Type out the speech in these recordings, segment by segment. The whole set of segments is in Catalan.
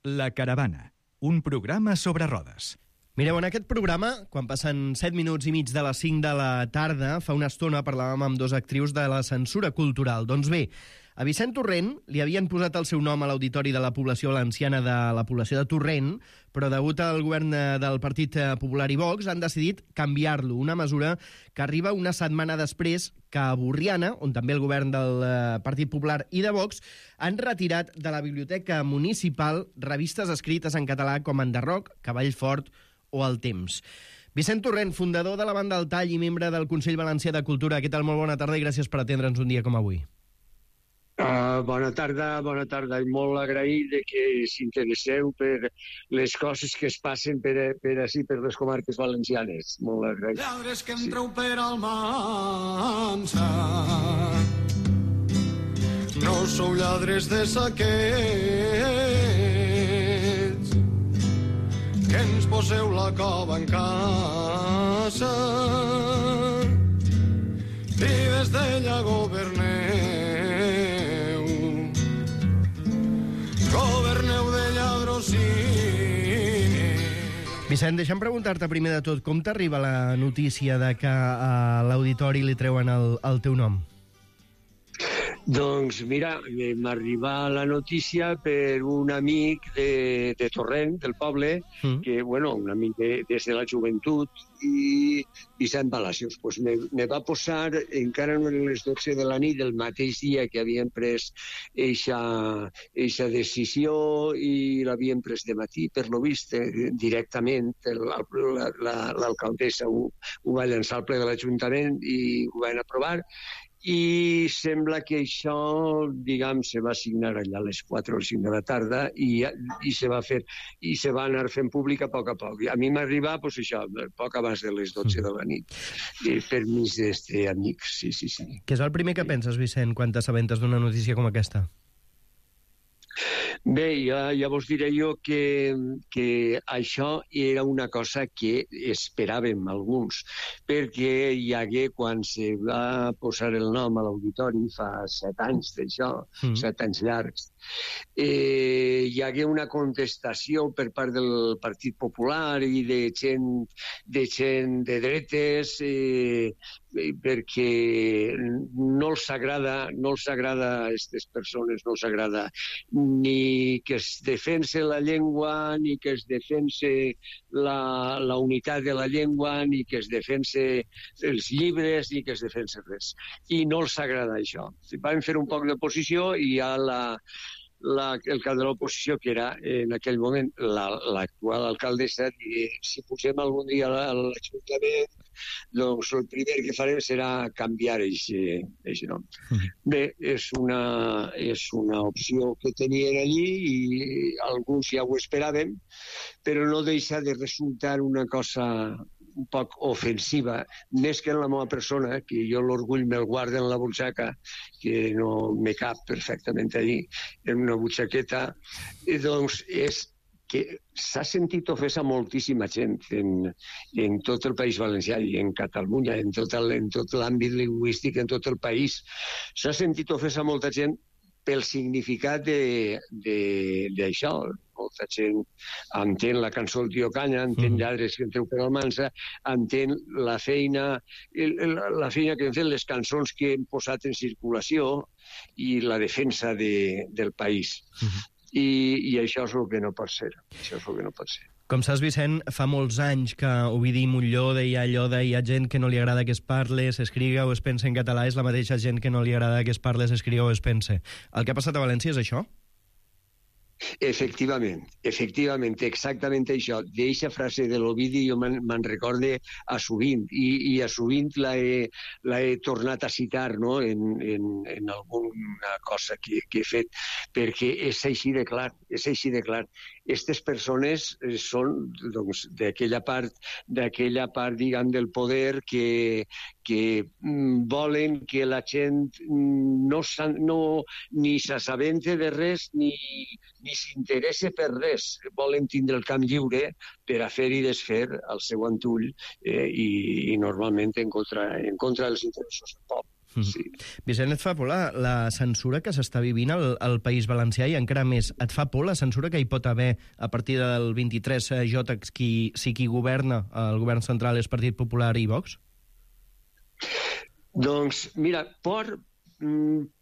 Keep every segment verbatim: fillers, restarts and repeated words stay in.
La Caravana, un programa sobre rodes. Mireu, en aquest programa, quan passen set minuts i mig de les cinc de la tarda, fa una estona parlàvem amb dos actrius de la censura cultural. Doncs bé, a Vicent Torrent li havien posat el seu nom a l'auditori de la població valenciana de la població de Torrent, però degut al govern del Partit Popular i Vox han decidit canviar-lo, una mesura que arriba una setmana després que a Borriana, on també el govern del Partit Popular i de Vox, han retirat de la biblioteca municipal revistes escrites en català com Enderroc, Cavall Fort o El Temps. Vicent Torrent, fundador de la Banda El Tall i membre del Consell Valencià de Cultura. Què tal? Molt bona tarda i gràcies per atendre'ns un dia com avui. Uh, bona tarda, bona tarda. I molt agraït de que s'interesseu per les coses que es passen per, per així, per les comarques valencianes. Molt agraït. Lladres que entreu sí. Per Almansa, no sou lladres de saquets, que ens poseu la cova en casa i des d'ella governeu, governeu de lladrocini. Vicent, deixa'm preguntar-te primer de tot, com t'arriba la notícia de que a l'auditori li treuen el, el teu nom? Doncs mira, m'arriba la notícia per un amic de, de Torrent, del poble, mm. que, bueno, un amic de, des de la joventut, i Vicent Palacios. Pues me, me va posar, encara no eren les dotze de la nit, del mateix dia que havien pres eixa decisió, i l'havien pres de matí, per lo vist, eh, directament. L'alcaldessa ho, ho va llançar al ple de l'Ajuntament i ho van aprovar. I sembla que això, diguem, se va signar allà a les quatre o cinc de la tarda i, i se va fer, i se va anar fent públic a poc a poc. A mi m'arriba, pues això, poc abans de les dotze de la nit, i per mig d'este amics, sí, sí, sí. Què és el primer que penses, Vicent, quan t'assabentes d'una notícia com aquesta? Bé, ja, ja vos diré jo que, que això era una cosa que esperàvem alguns, perquè hi hagué, quan se va posar el nom a l'auditori, fa set anys d'això, mm. set anys llargs, eh, hi hagué una contestació per part del Partit Popular i de gent de, gent de dretes, eh, perquè no els agrada, no els agrada a aquestes persones, no els agrada ni que es defense la llengua, ni que es defense la, la unitat de la llengua, ni que es defense els llibres, ni que es defense res. I no els agrada això. Vam fer un poc d'oposició i ja la, la, el cap de l'oposició, que era en aquell moment l'actual la, alcaldessa, i si posem algun dia a l'Ajuntament, doncs el primer que farem serà canviar aquest nom. Mm. Bé, és una, és una opció que tenien allí i alguns ja ho esperàvem, però no deixa de resultar una cosa un poc ofensiva, més que en la meva persona, que jo l'orgull me'l guardo en la butxaca, que no me cap perfectament allí, en una butxaqueta, i doncs és que s'ha sentit ofesa moltíssima gent en, en tot el País Valencià i en Catalunya, en tot, el, en tot l'àmbit lingüístic, en tot el país. S'ha sentit ofesa molta gent pel significat d'això. Molta gent entén la cançó del Tio Canya, entén lladres que entreu per Almansa, entén la feina, la feina que han fet les cançons que hem posat en circulació i la defensa de, del país. Uh-huh. I, i això és el que no pot ser. Això és el que no pot ser. Com saps, Vicent, fa molts anys que Ovidi Montllor deia allò de hi ha gent que no li agrada que es parle, s'escriga o es pense en català, és la mateixa gent que no li agrada que es parle, s'escriga o es pense. El que ha passat a València és això? Efectivament, efectivament, exactament això. D'eixa frase de l'Ovidi jo me'n me recorde a sovint, i, i a sovint la he, la he tornat a citar, no?, en, en, en alguna cosa que, que he fet, perquè és així de clar, és així de clar. Aquestes persones són, doncs, d'aquella part, d'aquella part, diguem, del poder que, que mm, volen que la gent no, no ni s'assabente de res ni, ni s'interessa per res. Volen tindre el camp lliure per a fer i desfer al seu antull, eh, i, i normalment en contra, en contra dels interessos del poble. Sí. Vicent, et fa por la, la censura que s'està vivint al, al País Valencià i encara més, et fa por la censura que hi pot haver a partir del vint-i-tres J, qui, si qui governa el govern central és Partit Popular i Vox? Doncs, mira, por,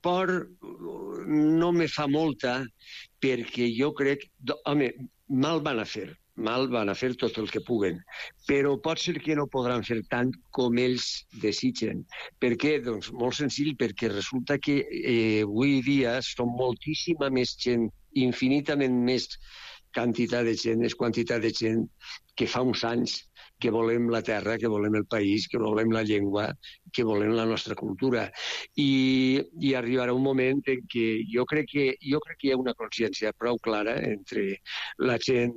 por no me fa molta perquè jo crec... Home, mal van a fer. Mal van a fer tot el que puguen, però pot ser que no podran fer tant com ells desitgen. Per què? Doncs molt senzill, perquè resulta que eh, avui dia som moltíssima més gent, infinitament més quantitat de gent, és quantitat de gent que fa uns anys que volem la terra, que volem el país, que volem la llengua, que volem la nostra cultura. I, i arribarà un moment en què jo crec que, jo crec que hi ha una consciència prou clara entre la gent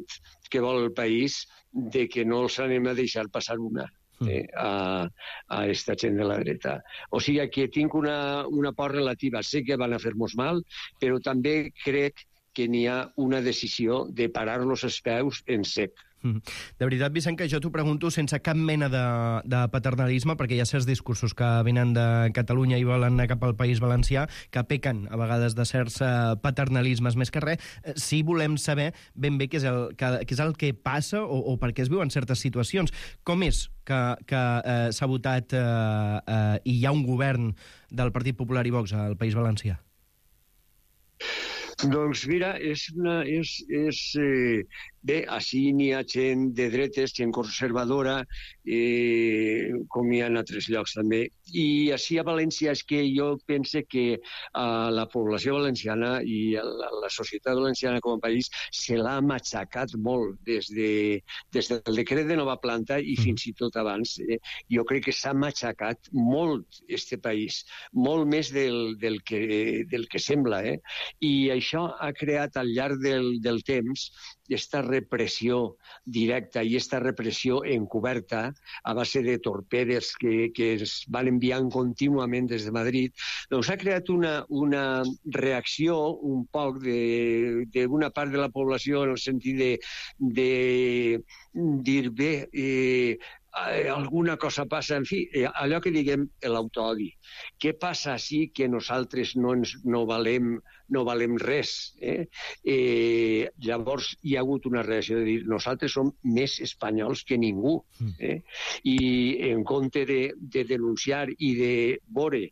que vol el país de que no els anem a deixar passar una eh, a, a esta gent de la dreta. O sigui que tinc una, una por relativa. Sé que van a fer-nos mal, però també crec que n'hi ha una decisió de parar-los els peus en sec. De veritat, Vicent, que jo t'ho pregunto sense cap mena de, de paternalisme, perquè hi ha certs discursos que venen de Catalunya i volen anar cap al País Valencià, que pequen a vegades de certs paternalismes més que res. Sí volem saber ben bé què és el que, què és el que passa o, o per què es viuen certes situacions. Com és que, que eh, s'ha votat eh, eh, i hi ha un govern del Partit Popular i Vox al País Valencià? Doncs mira, és una... És, és, eh, bé, així n'hi ha gent de dretes, gent conservadora, eh, com hi ha en altres llocs també. I així a València és que jo pense que eh, la població valenciana i la, la societat valenciana com a país se l'ha matxacat molt des, de, des del decret de nova planta i fins i tot abans. Eh, jo crec que s'ha matxacat molt este país, molt més del, del, que, del que sembla. Eh? I això ha creat al llarg del, del temps aquesta repressió directa i aquesta repressió encoberta a base de torpedes que, que es van enviant contínuament des de Madrid, doncs ha creat una, una reacció un poc d'una part de la població en el sentit de, de dir, bé, eh, alguna cosa passa, en fi, allò que diguem l'autoodi. Què passa així que nosaltres no, ens, no, valem, no valem res? Eh? Eh, llavors hi ha hagut una reacció de dir nosaltres som més espanyols que ningú. Eh? I en compte de, de denunciar i de veure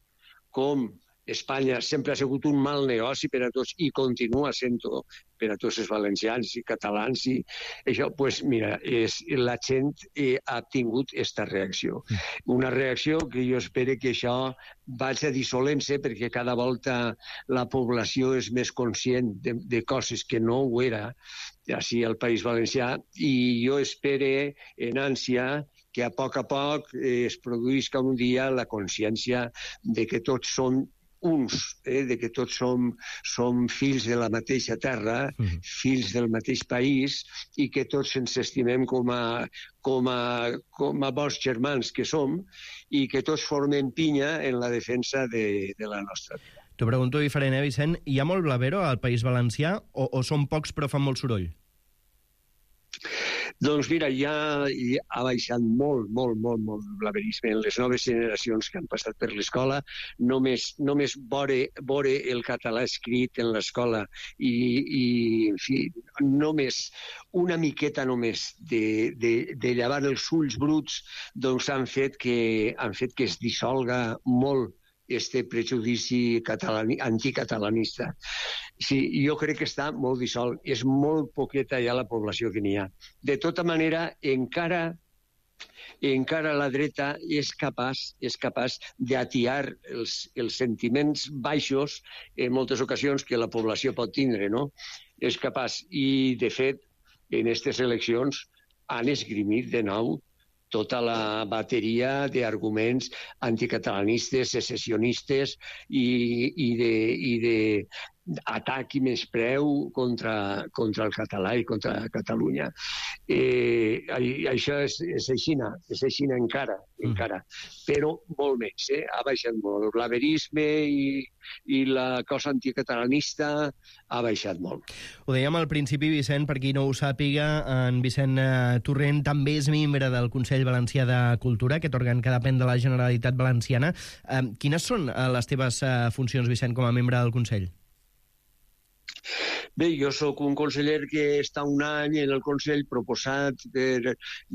com Espanya sempre ha sigut un mal negoci per a tots i continua sent-ho per a tots els valencians i catalans i això, doncs pues, mira, és, la gent eh, ha tingut aquesta reacció. Una reacció que jo espero que això vagi dissolent-se perquè cada volta la població és més conscient de, de coses que no ho era així al País Valencià i jo espero en ànsia que a poc a poc eh, es produïsca un dia la consciència de que tots som uns, eh, de que tots som, som fills de la mateixa terra, mm. fills del mateix país, i que tots ens estimem com a, com a, com a bons germans que som, i que tots formem pinya en la defensa de, de la nostra vida. T'ho pregunto diferent, eh, Vicent? Hi ha molt blavero al País Valencià o, o són pocs però fan molt soroll? Doncs mira, ja, ja ha baixat molt, molt, molt, molt el blaverisme en les noves generacions que han passat per l'escola. Només, només veure, veure el català escrit en l'escola i, i, en fi, només una miqueta només de, de, de llevar els ulls bruts, doncs han fet que, han fet que es dissolga molt este prejudici catalani, anticatalanista. Sí, jo crec que està molt dissolt. És molt poqueta ja la població que n'hi ha. De tota manera, encara, encara la dreta és capaç, és capaç d'atiar els, els sentiments baixos en moltes ocasions que la població pot tindre, no? És capaç. I, de fet, en aquestes eleccions han esgrimit de nou tota la bateria d'arguments anticatalanistes, secessionistes i, i de, i de atac i menyspreu contra, contra el català i contra Catalunya. Eh, això és, és aixina, és aixina encara, mm. encara, però molt més, eh? Ha baixat molt. El blaverisme i, i la cosa anticatalanista ha baixat molt. Ho dèiem al principi, Vicent, per qui no ho sàpiga, en Vicent eh, Torrent també és membre del Consell Valencià de Cultura, aquest òrgan que depèn de la Generalitat Valenciana. Eh, quines són eh, les teves eh, funcions, Vicent, com a membre del Consell? Bé, jo sóc un conseller que està un any en el Consell proposat per,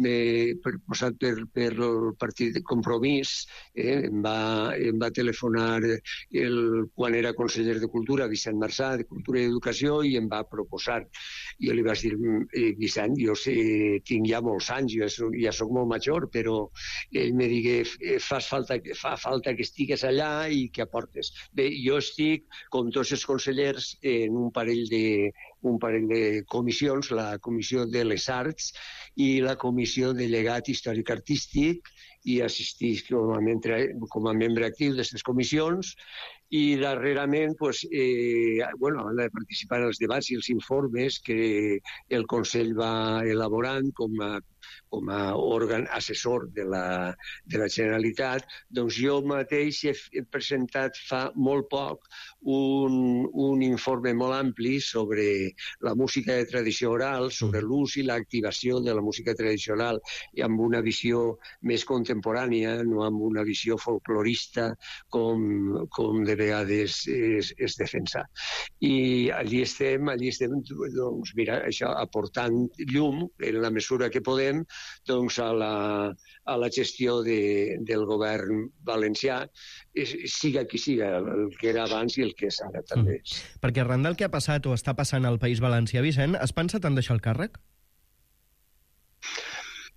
eh, proposat per, per el Partit de Compromís. Eh? Em, va, em va telefonar el, quan era conseller de Cultura, Vicent Marçà, de Cultura i Educació, i em va proposar. Jo li vaig dir, eh, Vicent, jo sé, tinc ja molts anys, jo ja sóc molt major, però ell me digué, fas falta, fa falta que estigues allà i que aportes. Bé, jo estic, com tots els consellers, en un parell de un parell de comissions, la Comissió de les Arts i la Comissió de Llegat Històric Artístic, i assistís com a membre, com a membre actiu d'aquestes comissions, i darrerament pues, eh, bueno, han de participar en els debats i els informes que el Consell va elaborant com a, com a òrgan assessor de la, de la Generalitat. Doncs jo mateix he, he presentat fa molt poc un, un informe molt ampli sobre la música de tradició oral, sobre l'ús i l'activació de la música tradicional, i amb una visió més contemporània, no amb una visió folclorista com, com de vegades es, es defensa. I allí estem, allí estem, doncs, mira, això, aportant llum, en la mesura que podem, doncs, a la, a la gestió de, del govern valencià, siga qui siga, el que era abans i el que és ara també. Mm. Perquè arran del que ha passat o està passant al País Valencià, Vicent, has pensat en deixar el càrrec?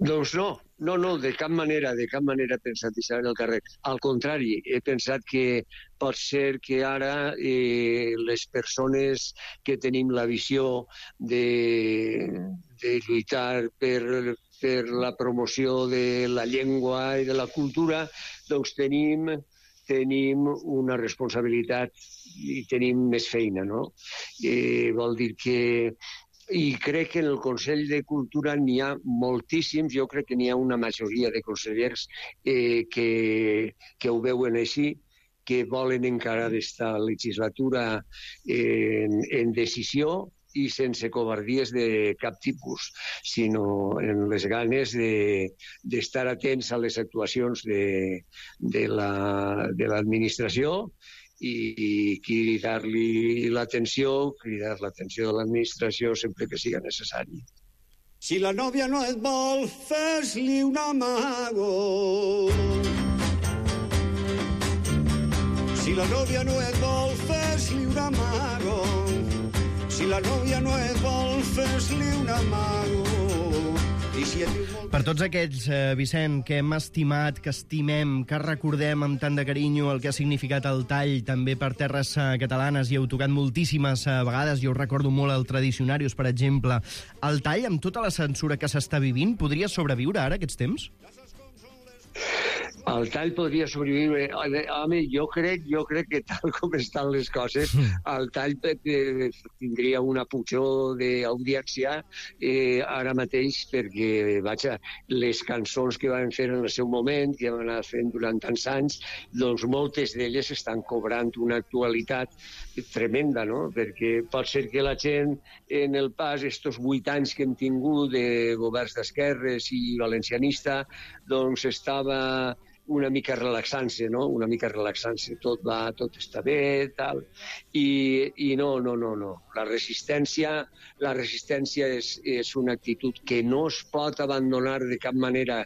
Doncs no, no, no, de cap manera, de cap manera he pensat deixar el càrrec. Al contrari, he pensat que pot ser que ara eh, les persones que tenim la visió de, de lluitar per, per la promoció de la llengua i de la cultura, doncs tenim, tenim una responsabilitat i tenim més feina, no? Eh, vol dir que i crec que en el Consell de Cultura n'hi ha moltíssims, jo crec que n'hi ha una majoria de consellers eh, que, que ho veuen així, que volen encarar aquesta legislatura en, en decisió i sense covardies de cap tipus, sinó en les ganes de, d'estar atents a les actuacions de, de la, de l'administració i cridar-li l'atenció, cridar l'atenció de l'administració sempre que siga necessari. Si la nòvia no et vol, fes-li un amago. Si la nòvia no et vol, fes-li un amago. Si la nòvia no et vol, fes-li un amago. I si et diu molt... Per tots aquests, eh, Vicent, que hem estimat, que estimem, que recordem amb tant de carinyo el que ha significat el tall també per terres eh, catalanes, i heu tocat moltíssimes eh, vegades, jo recordo molt el Tradicionarius, per exemple. El tall, amb tota la censura que s'està vivint, podria sobreviure ara aquests temps? El tall podria sobreviure. Home, jo crec, jo crec que tal com estan les coses, el tall eh, tindria una pujor d'audiència eh, ara mateix, perquè, vaja, les cançons que van fer en el seu moment, que van anar fent durant tants anys, doncs moltes d'elles estan cobrant una actualitat tremenda, no? Perquè pot ser que la gent, en el pas, estos vuit anys que hem tingut de governs d'esquerres i valencianista, doncs estava una mica relaxant-se, no? Una mica relaxant-se. Tot va, tot està bé, tal. I, i no, no, no, no. La resistència, la resistència és, és una actitud que no es pot abandonar de cap manera.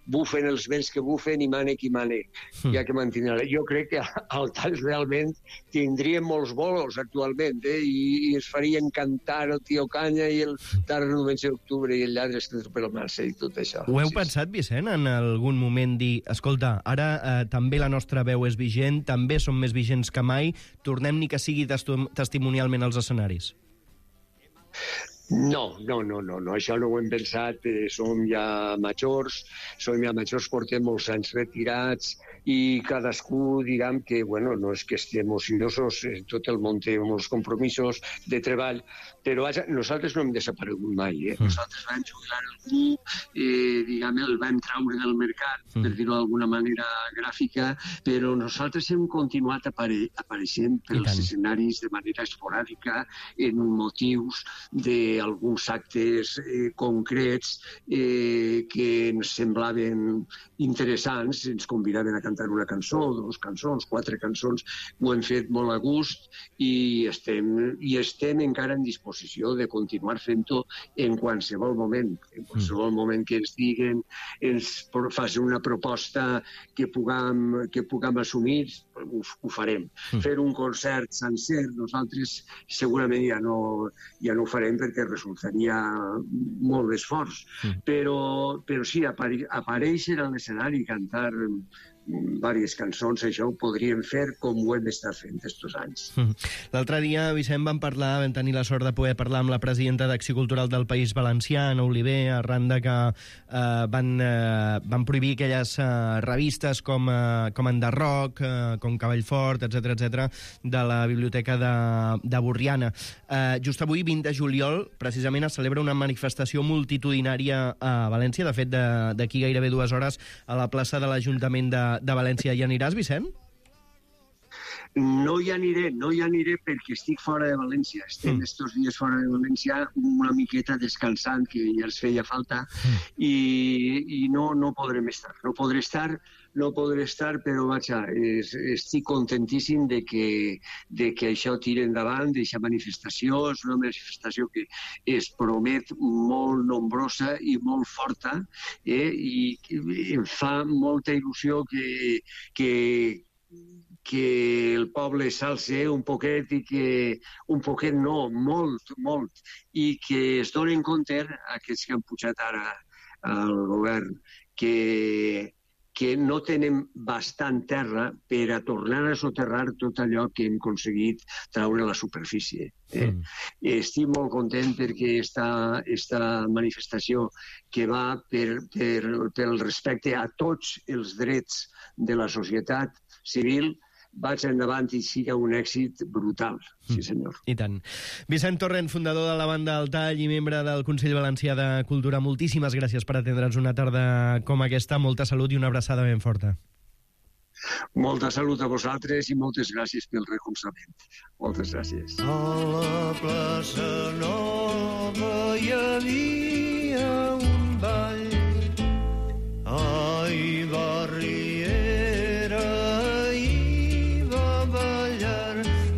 Bufen els vents que bufen i mane qui mane. Mm. Hi ha que mantenir. Jo crec que al tall realment tindríem molts bolos actualment, eh? I, i es farien cantar el Tio Canya i el Tarra Novembre d'Octubre i el Lladre Estat per el Marce i tot això. Ho heu sí, pensat, Vicent, en algun moment dir, escolta, ara eh, també la nostra veu és vigent, també som més vigents que mai, tornem ni que sigui testimonialment als escenaris? No, no, no, no, no, això no ho hem pensat, eh, som ja majors, som ja majors, portem molts anys retirats i cadascú, diguem que, bueno, no és que estem ociosos, eh, tot el món té molts compromisos de treball, però vaja, nosaltres no hem desaparegut mai, eh? Mm. Nosaltres vam jubilar algú, eh, diguem, el vam traure del mercat, mm. per dir-ho d'alguna manera gràfica, però nosaltres hem continuat apare apareixent pels escenaris de manera esporàdica, en motius de alguns actes eh, concrets eh, que ens semblaven interessants, ens convidaven a cantar una cançó, dues cançons, quatre cançons, ho hem fet molt a gust i estem, i estem encara en disposició de continuar fent-ho en qualsevol moment, en qualsevol mm. moment que ens diguen, ens facin una proposta que puguem, que puguem assumir, ho, ho farem. Mm. Fer un concert sencer, nosaltres segurament ja no, ja no ho farem perquè resultaria molt d'esforç. Mm. Però, però sí, apare aparèixer a l'escenari i cantar diverses cançons, això ho podríem fer com ho hem estat fent estos anys. Mm. L'altre dia, Vicent, vam parlar, vam tenir la sort de poder parlar amb la presidenta d'Acció Cultural del País Valencià, Anna Oliver, arran de que eh, van, eh, van prohibir aquelles eh, revistes com, eh, com Enderroc, eh, com Cavallfort, etcètera, etcètera, de la biblioteca de, de Borriana. Eh, just avui, vint de juliol, precisament es celebra una manifestació multitudinària a València, de fet, d'aquí gairebé dues hores, a la plaça de l'Ajuntament de de València. Hi aniràs, Vicent? No hi aniré, no hi aniré perquè estic fora de València. Estem mm. estos dies fora de València una miqueta descansant, que ja ens feia falta, mm. i, i no, no podrem estar. No podré estar, no podré estar, però vaja, es, estic contentíssim de que, de que això tiri endavant, d'aquesta manifestació. És una manifestació que es promet molt nombrosa i molt forta, eh? I em fa molta il·lusió que, que, que el poble s'alce un poquet i que, un poquet no, molt, molt, i que es donen compte, aquests que han pujat ara al govern, que, que no tenen bastant terra per a tornar a soterrar tot allò que hem aconseguit traure a la superfície. Eh? Mm. Estic molt content perquè esta, esta manifestació que va per, per, pel respecte a tots els drets de la societat civil vaig endavant i siga un èxit brutal. Sí, senyor. I tant. Vicent Torrent, fundador de la banda El Tall i membre del Consell Valencià de Cultura, moltíssimes gràcies per atendre'ns una tarda com aquesta. Molta salut i una abraçada ben forta. Molta salut a vosaltres i moltes gràcies pel recolzament. Moltes gràcies. A la plaça Nova hi havia un ball. Ai, barriera, hi va ballar.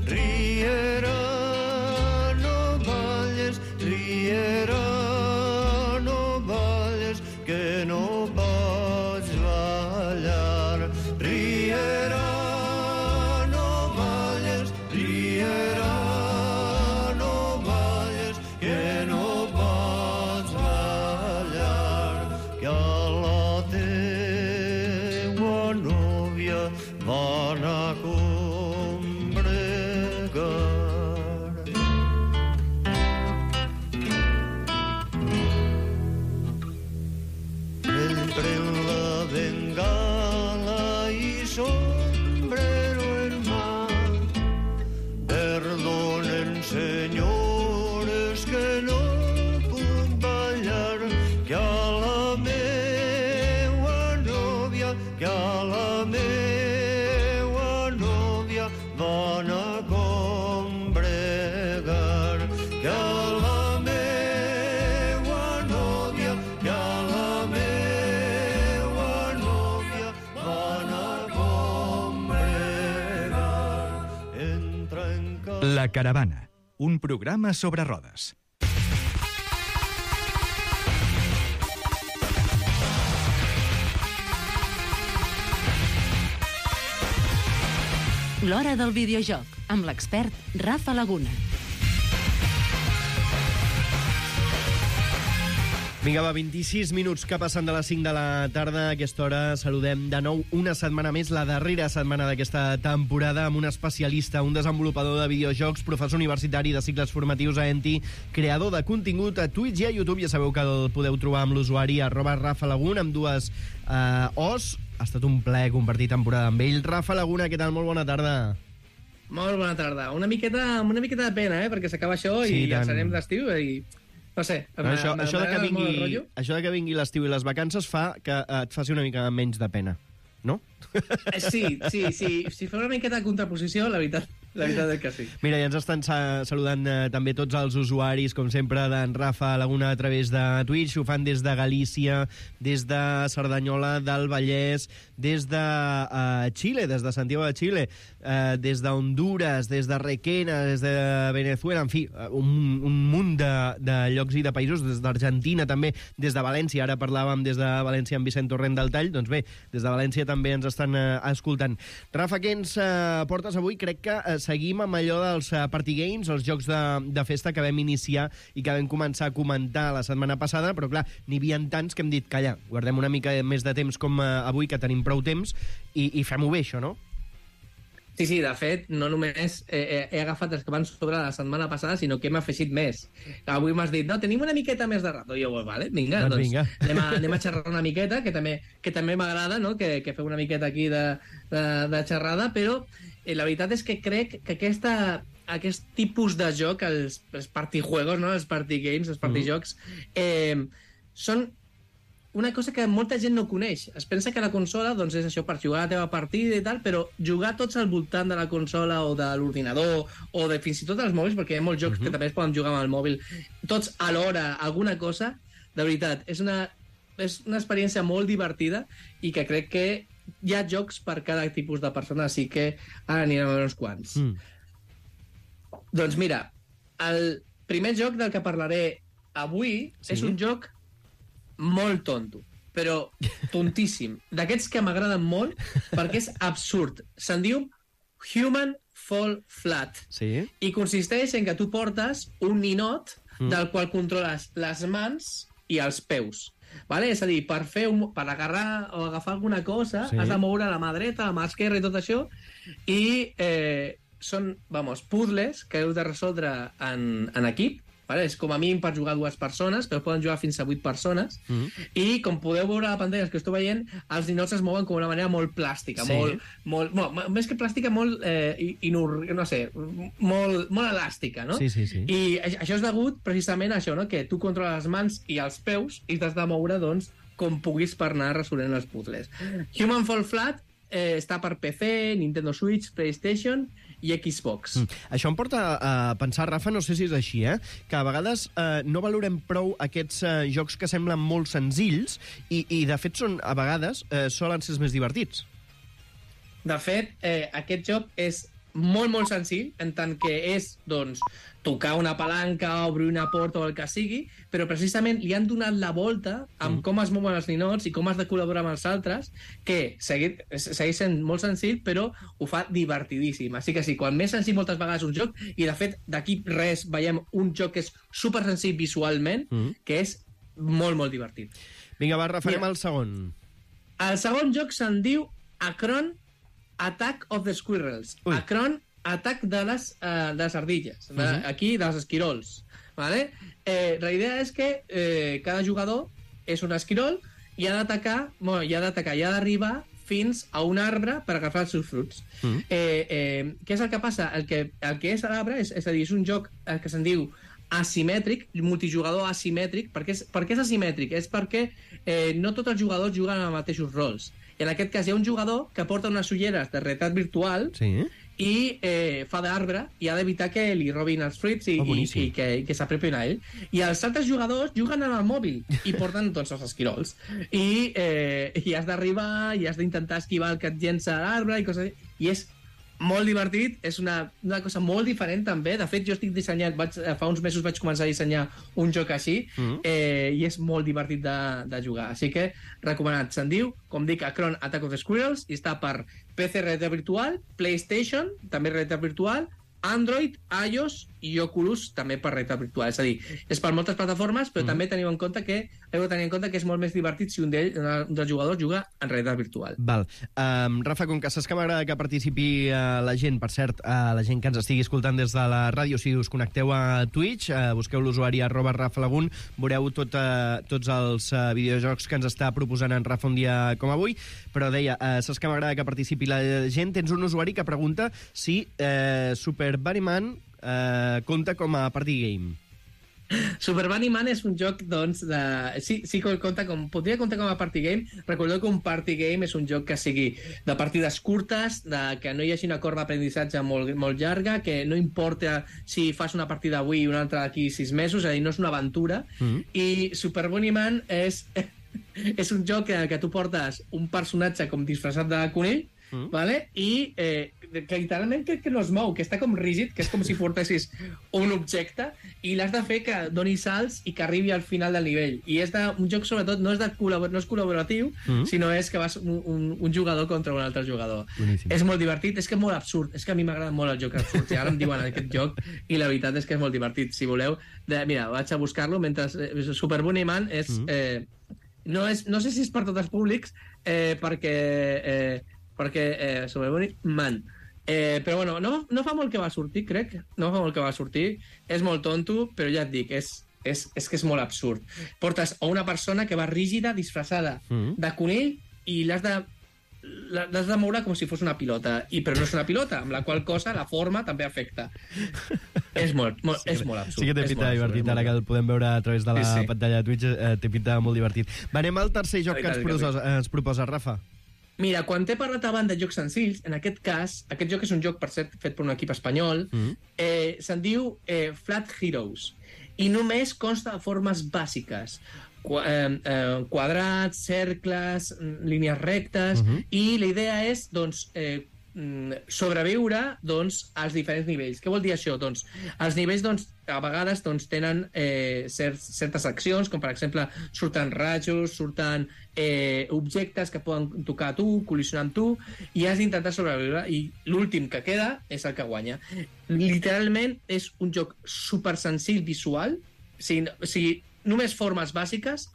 Riera, no balles, riera, no balles, que no pots ballar. Riera, no balles, riera, no balles, que no pots ballar. Que a la teua núvia van a combregar. Ell pren la bengala i sombrero en mà. Perdonen, senyores, que no puc ballar, que a la meua nòvia, que a la meua nòvia van a combregar. Que a la meua nòvia, que a la meua nòvia van a combregar. Entra en casa. La Caravana, un programa sobre rodes. L'hora del videojoc, amb l'expert Rafa Laguna. Vinga, va, vint-i-sis minuts que passen de les cinc de la tarda. A aquesta hora saludem de nou una setmana més, la darrera setmana d'aquesta temporada, amb un especialista, un desenvolupador de videojocs, professor universitari de cicles formatius a Enti, creador de contingut a Twitch i a YouTube. Ja sabeu que el podeu trobar amb l'usuari arroba Rafa Lagun, amb dues eh, O's. Ha estat un plaer compartir temporada amb ell. Rafa Laguna, què tal? Molt bona tarda. Molt bona tarda. Una miqueta, una miqueta de pena, eh? Perquè s'acaba això Sí, i tant. ja serem d'estiu i... No sé, No, això, això, de que m'agrada molt el vingui, rotllo. això de que vingui l'estiu i les vacances fa que eh, et faci una mica menys de pena, no? Eh, Sí, sí, sí. Si fa una miqueta de contraposició, la veritat, la veritat és que sí. Mira, ja ens estan sa saludant eh, també tots els usuaris, com sempre, d'en Rafa Laguna a través de Twitch. Ho fan des de Galícia, des de Cerdanyola del Vallès, des de uh, Xile, des de Santiago de Xile, uh, des de Honduras, des de Requena, des de Venezuela, en fi, uh, un, un munt de, de llocs i de països, des d'Argentina també, des de València. Ara parlàvem des de València amb Vicent Torrent del Tall. Doncs bé, des de València també ens estan uh, escoltant. Rafa, què ens uh, portes avui? Crec que uh, seguim amb allò dels uh, party games, els jocs de, de festa que vam iniciar i que vam començar a comentar la setmana passada, però clar, n'hi havia tants que hem dit, calla, guardem una mica més de temps com uh, avui, que tenim prou temps, i, i fem-ho bé, això, no? Sí, sí, de fet, no només he, he, he agafat els que van sobre la setmana passada, sinó que hem afegit més. Avui m'has dit, no, tenim una miqueta més de rato. I jo, vale, vinga, Doncs doncs, vinga. anem, a, anem a xerrar una miqueta, que també, que també m'agrada, no?, que, que feu una miqueta aquí de, de, de xerrada, però eh, la veritat és que crec que aquesta, aquest tipus de joc, els, els partijuegos, no?, els party games, els partijocs, eh, són una cosa que molta gent no coneix. Es pensa que la consola doncs, és això per jugar a la teva partida i tal, però jugar tots al voltant de la consola o de l'ordinador o de fins i tot els mòbils, perquè hi ha molts jocs uh -huh. que també es poden jugar amb el mòbil, tots alhora, alguna cosa, de veritat, és una, és una experiència molt divertida i que crec que hi ha jocs per cada tipus de persona, així que ara anirem a veure uns quants. Mm. Doncs mira, el primer joc del que parlaré avui sí? és un joc molt tonto, però tontíssim. D'aquests que m'agraden molt, perquè és absurd. Se'n diu Human Fall Flat. Sí. I consisteix en que tu portes un ninot mm. del qual controles les mans i els peus. Vale? És a dir, per, fer un, per agarrar o agafar alguna cosa, sí. has de moure la mà dreta, la mà esquerra i tot això, i eh, són, vamos, puzzles que heu de resoldre en, en equip. Vale? És com a mínim per jugar dues persones, però poden jugar fins a vuit persones. Mm -hmm. I com podeu veure a la pantalla que esteu veient, els ninots es mouen com d'una manera molt plàstica, sí. molt, molt, molt, més que plàstica, molt, eh, inur, no sé, molt, molt elàstica, no? Sí, sí, sí. I això és degut precisament a això, no? Que tu controles les mans i els peus i t'has de moure, doncs, com puguis per anar resolent els puzzles. Human Fall Flat eh, està per P C, Nintendo Switch, PlayStation i Xbox. Mm. Això em porta a pensar, Rafa, no sé si és així, eh? que a vegades eh, no valorem prou aquests eh, jocs que semblen molt senzills i, i de fet, són a vegades eh, solen ser els més divertits. De fet, eh, aquest joc és molt, molt senzill, en tant que és, doncs, tocar una palanca, obrir una porta o el que sigui, però precisament li han donat la volta amb mm. com es mouen els ninots i com has de col·laborar amb els altres, que segueix, segueix sent molt senzill, però ho fa divertidíssim. Així que sí, quan més senzill moltes vegades un joc, i de fet d'aquí res veiem un joc que és super senzill visualment, mm. que és molt, molt divertit. Vinga, va, referem al segon. El segon joc se'n diu Akron Attack of the Squirrels. Ui. Akron, atac de les, uh, de les ardilles, de, uh -huh. aquí dels esquirols. Vale? Eh, la idea és que eh, cada jugador és un esquirol i ha d'atacar, bueno, i ha d'atacar, i ha d'arribar fins a un arbre per agafar els seus fruits. Uh -huh. eh, eh, què és el que passa? El que, el que és l'arbre, és, és a dir, és un joc que se'n diu asimètric, multijugador asimètric. Per què és, per què és asimètric? És perquè eh, no tots els jugadors juguen els mateixos rols. I en aquest cas hi ha un jugador que porta unes ulleres de realitat virtual sí. i eh, fa d'arbre i ha d'evitar que li robin els fruits i, oh, i, i que, que s'apropin a ell. I els altres jugadors juguen amb el mòbil i porten tots els esquirols. I, eh, i has d'arribar i has d'intentar esquivar el que et llença l'arbre i coses. I és molt divertit, és una, una cosa molt diferent també. De fet, jo estic dissenyant, vaig, fa uns mesos vaig començar a dissenyar un joc així, mm. eh, i és molt divertit de, de jugar. Així que, recomanat. Se'n diu, com dic, Akron Attack of the Squirrels, i està per P C realitat virtual, PlayStation, també realitat virtual, Android, iOS i Oculus també per realitat virtual. És a dir, és per moltes plataformes, però mm. també teniu en compte que heu de tenir en compte que és molt més divertit si un, d'ell, un dels jugadors juga en realitat virtual. Val. Um, Rafa, com que saps que m'agrada que participi uh, la gent, per cert, uh, la gent que ens estigui escoltant des de la ràdio, si us connecteu a Twitch, uh, busqueu l'usuari arroba Rafa Lagun, veureu tot, uh, tots els uh, videojocs que ens està proposant en Rafa un dia com avui, però deia, uh, saps que m'agrada que participi la gent, tens un usuari que pregunta si uh, Super Bunnyman Uh, compta com a party game. Super Bunnyman és un joc, doncs, de... sí, sí que compta com... podria comptar com a party game. Recordeu que un party game és un joc que sigui de partides curtes, de que no hi hagi una corba d'aprenentatge molt, molt llarga, que no importa si fas una partida avui i una altra d'aquí sis mesos, és a dir, no és una aventura. Mm-hmm. I Super Bunnyman és... és un joc que, que tu portes un personatge com disfressat de conill, Mm. Vale? I eh, que literalment crec que no es mou, que està com rígid, que és com si portessis un objecte i l'has de fer que doni salts i que arribi al final del nivell. I és de, un joc, sobretot, no és, de col·labor, no és col·laboratiu, mm. sinó és que vas un, un, un jugador contra un altre jugador. Boníssim. És molt divertit, és que és molt absurd, és que a mi m'agrada molt el joc absurd, i ara em diuen aquest joc, i la veritat és que és molt divertit. Si voleu, de, mira, vaig a buscar-lo mentre... Eh, Super Bunnyman és... Mm. Eh, no, és... no sé si és per tots els públics, eh, perquè... Eh, perquè eh, Super Bunnyman. Eh, però bueno, no, no fa molt que va sortir, crec. No fa molt que va sortir. És molt tonto, però ja et dic, és, és, és que és molt absurd. Portes a una persona que va rígida, disfressada mm. de conill, i l'has de, l'has de moure com si fos una pilota. I, però no és una pilota, amb la qual cosa la forma també afecta. és, molt, molt, sí, és molt absurd. Sí que té pinta divertit, ara que el podem veure a través de la sí, sí. pantalla de Twitch, eh, té pinta molt divertit. Va, anem al tercer joc que ens proposa, ens proposa Rafa. Mira, quan t'he parlat abans de jocs senzills, en aquest cas, aquest joc és un joc, per cert, fet per un equip espanyol, mm. eh, se'n diu eh, Flat Heroes, i només consta de formes bàsiques. Qu eh, eh, quadrats, cercles, línies rectes, mm -hmm. i la idea és, doncs, eh, sobreviure, doncs, als diferents nivells. Què vol dir això? Doncs, els nivells, doncs, a vegades doncs, tenen eh, cert, certes accions, com per exemple surten rajos, surten eh, objectes que poden tocar a tu, col·lisionar amb tu, i has d'intentar sobreviure, i l'últim que queda és el que guanya. Literalment és un joc super senzill visual, o sigui, o sigui només formes bàsiques,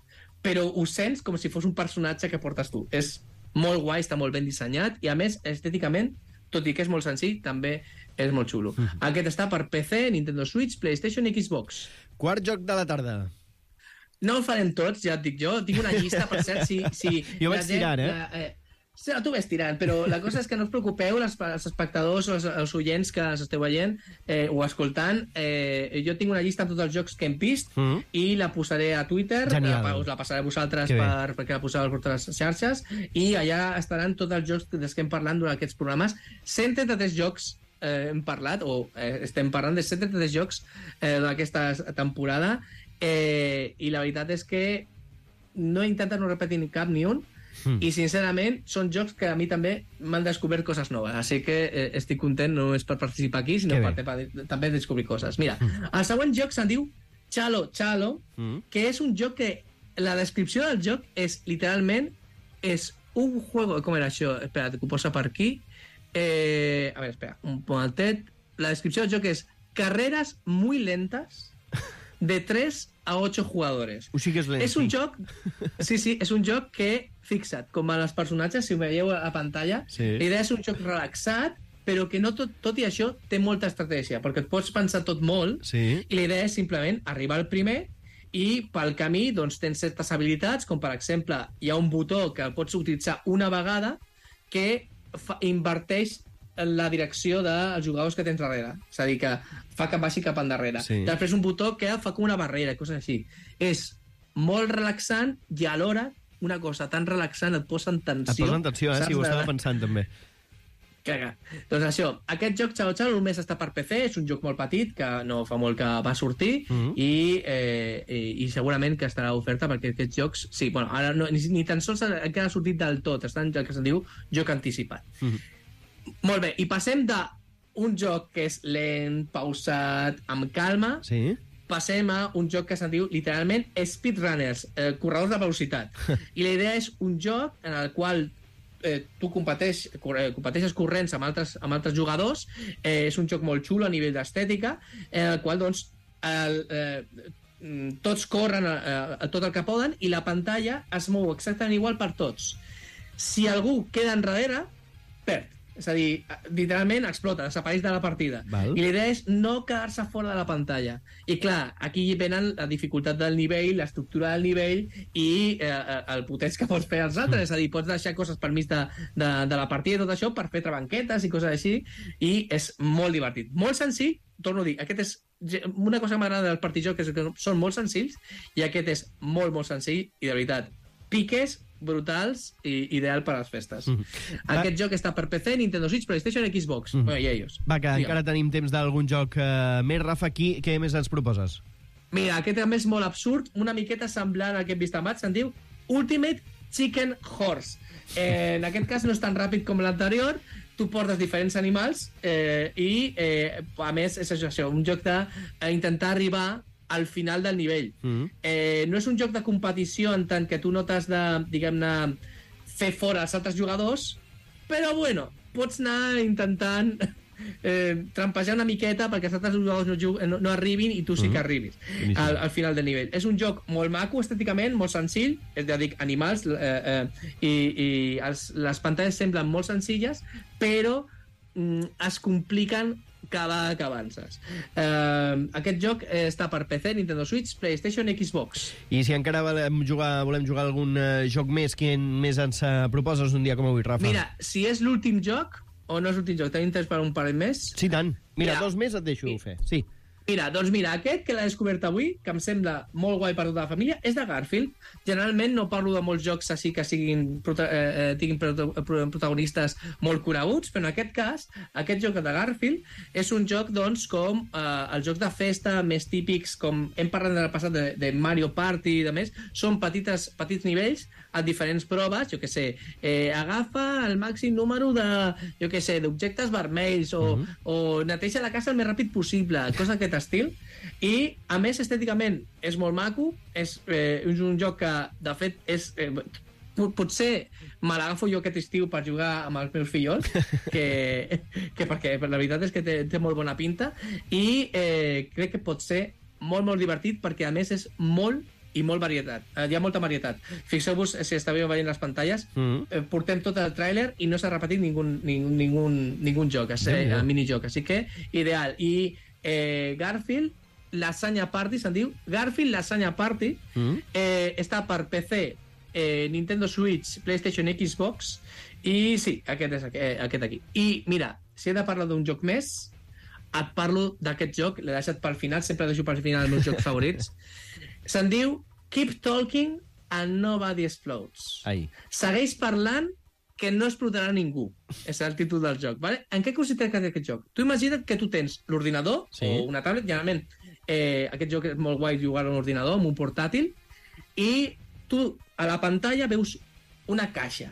però ho sents com si fos un personatge que portes tu. És molt guai, està molt ben dissenyat, i a més, estèticament, tot i que és molt senzill, també és molt xulo. Mm-hmm. Aquest està per P C, Nintendo Switch, PlayStation i Xbox. Quart joc de la tarda. No el farem tots, ja et dic jo. Tinc una llista, per cert, si... si jo vaig gent, tirant, eh? La, eh sí, tu ves tirant, però la cosa és que no us preocupeu, les, els espectadors o els, els oients que ens esteu veient eh, o escoltant. Eh, jo tinc una llista amb tots els jocs que hem vist mm -hmm. i la posaré a Twitter. La, us la passaré a vosaltres per, perquè la poseu per totes les xarxes, i allà estaran tots els jocs dels que hem parlat durant aquests programes. cent trenta-tres jocs eh, hem parlat, o eh, estem parlant de cent trenta-tres jocs eh, d'aquesta temporada, eh, i la veritat és que no he intentat no repetir ni cap ni un. Mm. I sincerament són jocs que a mi també m'han descobert coses noves, així que eh, estic content, no és per participar aquí, sinó per, per també descobrir coses. Mira, mm. el següent joc se'n diu Chalo Chalo, mm. que és un joc que la descripció del joc és literalment és un juego, com era això? Espera, que ho posa per aquí. Eh, a veure, espera, un momentet. La descripció del joc és carreras muy lentas de tres a ocho jugadores. O sigui que és lent. És un joc... Sí, sí, és un joc que, fixa't, com a els personatges, si ho veieu a pantalla, sí. La idea és un joc relaxat, però que no tot, tot i això té molta estratègia, perquè et pots pensar tot molt, sí. I la idea és simplement arribar al primer, i pel camí doncs, tens certes habilitats, com per exemple hi ha un botó que el pots utilitzar una vegada que fa, inverteix la direcció dels jugadors que tens darrere. És a dir, que fa que vagi cap endarrere. Sí. Després un botó que fa com una barrera, coses així. És molt relaxant i alhora una cosa tan relaxant et posa en tensió. Et posa en tensió, eh? Sí, ho estava pensant també. Caga. Doncs això, aquest joc Chalo Chalo només està per P C, és un joc molt petit, que no fa molt que va sortir, mm-hmm. i, eh, i, i segurament que estarà a oferta, perquè aquests jocs, sí, bueno, ara no, ni, ni tan sols encara ha sortit del tot, està en el que se'n diu joc anticipat. Mm-hmm. Molt bé, i passem d'un joc que és lent, pausat, amb calma, sí. Passem a un joc que se'n diu literalment speedrunners, eh, corredors de velocitat. I la idea és un joc en el qual eh, tu competeix, competeixes corrents amb altres, amb altres jugadors, eh, és un joc molt xulo a nivell d'estètica, en el qual, doncs, el, eh, tots corren a, a, a tot el que poden i la pantalla es mou exactament igual per tots. Si algú queda enrere, perd. És a dir, literalment explota, desapareix de la partida. Val. I la idea és no quedar-se fora de la pantalla. I clar, aquí venen la dificultat del nivell, l'estructura del nivell i eh, el potents que pots fer als altres. És a dir, pots deixar coses per mig de, de, de la partida i tot això per fer trabanquetes i coses així, i és molt divertit. Molt senzill, torno a dir, aquest és una cosa que m'agrada del partijoc, és que són molt senzills, i aquest és molt, molt senzill, i de veritat, piques brutals i ideal per a les festes. Mm -hmm. Aquest Va... joc està per P C, Nintendo Switch, PlayStation, Xbox. Mm -hmm. Bueno, i ells. Va, que Digue'm. encara tenim temps d'algun joc eh, més, Rafa, aquí. Què més ens proposes? Mira, aquest també és molt absurd, una miqueta semblant al que hem vist abans, se'n diu Ultimate Chicken Horse. Eh, en aquest cas no és tan ràpid com l'anterior, tu portes diferents animals eh, i, eh, a més, és això, un joc d'intentar arribar al final del nivell. Mm-hmm. Eh, no és un joc de competició en tant que tu no t'has de, diguem-ne, fer fora els altres jugadors, però, bueno, pots anar intentant eh, trampejar una miqueta perquè els altres jugadors no, no, no arribin i tu sí que arribis mm-hmm. al, al final del nivell. És un joc molt maco estèticament, molt senzill, és ja dic, animals, eh, eh, i, i els, les pantalles semblen molt senzilles, però mm, es compliquen cada vegada que avances. Uh, aquest joc eh, està per P C, Nintendo Switch, PlayStation, Xbox. I si encara volem jugar, volem jugar algun uh, joc més, quin més ens uh, proposes un dia com avui, Rafa? Mira, si és l'últim joc, o no és l'últim joc, tenim temps per un parell més? Sí, tant. Mira, Mira dos més et deixo mi, fer. Sí. Mira, doncs mira, aquest que l'he descobert avui, que em sembla molt guai per tota la família, és de Garfield. Generalment no parlo de molts jocs així que siguin, prota eh, tinguin protagonistes molt coneguts, però en aquest cas, aquest joc de Garfield és un joc, doncs, com eh, els jocs de festa més típics, com hem parlat en el passat de, de Mario Party i de més, són petites, petits nivells a diferents proves, jo que sé, eh, agafa el màxim número de, jo que sé, d'objectes vermells o, uh-huh. o neteja la casa el més ràpid possible, cosa que estil, i a més estèticament és molt maco, és, eh, és un joc que de fet és eh, potser me l'agafo jo aquest estiu per jugar amb els meus fillols, que, que perquè la veritat és que té, té molt bona pinta, i eh, crec que pot ser molt molt divertit perquè a més és molt i molt varietat. Eh, hi ha molta varietat. Fixeu-vos, si estàveu veient les pantalles, mm-hmm. eh, portem tot el tràiler i no s'ha repetit ningú, ningú, ningú, ningú joc, és, eh, yeah. minijoc, així que ideal. I Eh, Garfield Lasagna Party, se'n diu Garfield Lasagna Party, mm. eh, està per P C, eh, Nintendo Switch, PlayStation, Xbox, i sí, aquest és eh, aquest aquí. I mira, si he de parlar d'un joc més, et parlo d'aquest joc, l'he deixat pel final, sempre deixo pel final els meus jocs favorits. Se'n diu Keep Talking and Nobody Explodes. Ai. Segueix parlant que no explotarà ningú. És el títol del joc. Vale? En què consisteix aquest joc? Tu imagina't que tu tens l'ordinador, sí. o una tablet, generalment eh, aquest joc és molt guai jugar a un ordinador, amb un portàtil, i tu a la pantalla veus una caixa.